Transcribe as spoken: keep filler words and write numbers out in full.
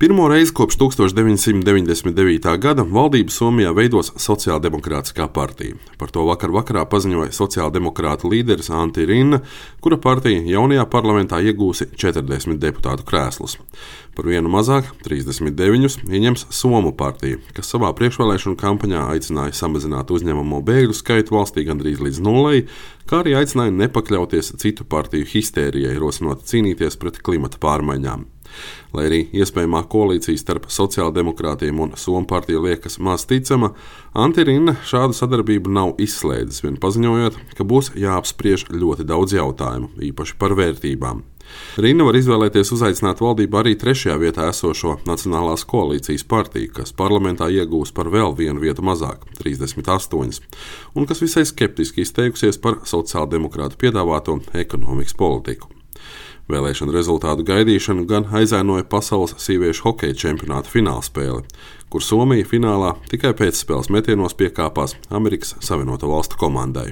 Pirmo reizi kopš tuksstoš deviņsimt deviņdesmit devītā gada valdību Somijā veidos Sociāldemokrātiskā partija. Par to vakar vakarā paziņoja sociāldemokrātu līderis Antti Rinne, kura partija jaunajā parlamentā iegūsi četrdesmit deputātu krēslus. Par vienu mazāk, trīsdesmit deviņus, ieņems Somu partija, kas savā priekšvēlēšanu kampaņā aicināja samazināt uzņemamo bēgļu skaitu valstī gandrīz līdz nulei, kā arī aicināja nepakļauties citu partiju histērijai, rosinot cīnīties pret klimata pārmaiņām. Lai arī iespējamā koalīcija starp sociāldemokrātiem un Somu partiju liekas maz ticama, Antti Rinne šādu sadarbību nav izslēdzis, vien paziņojot, ka būs jāapspriež ļoti daudz jautājumu, īpaši par vērtībām. Rinne var izvēlēties uzaicināt valdību arī trešajā vietā esošo Nacionālās koalīcijas partiju, kas parlamentā iegūs par vēl vienu vietu mazāk, trīsdesmit astoņas, un kas visai skeptiski izteikusies par sociāldemokrātu piedāvāto ekonomikas politiku. Vēlēšanu rezultātu gaidīšanu gan aizēnoja pasaules sieviešu hokeja čempionāta finālspēle, kur Somija finālā tikai pēcspēles metienos piekāpās Amerikas Savienoto Valstu komandai.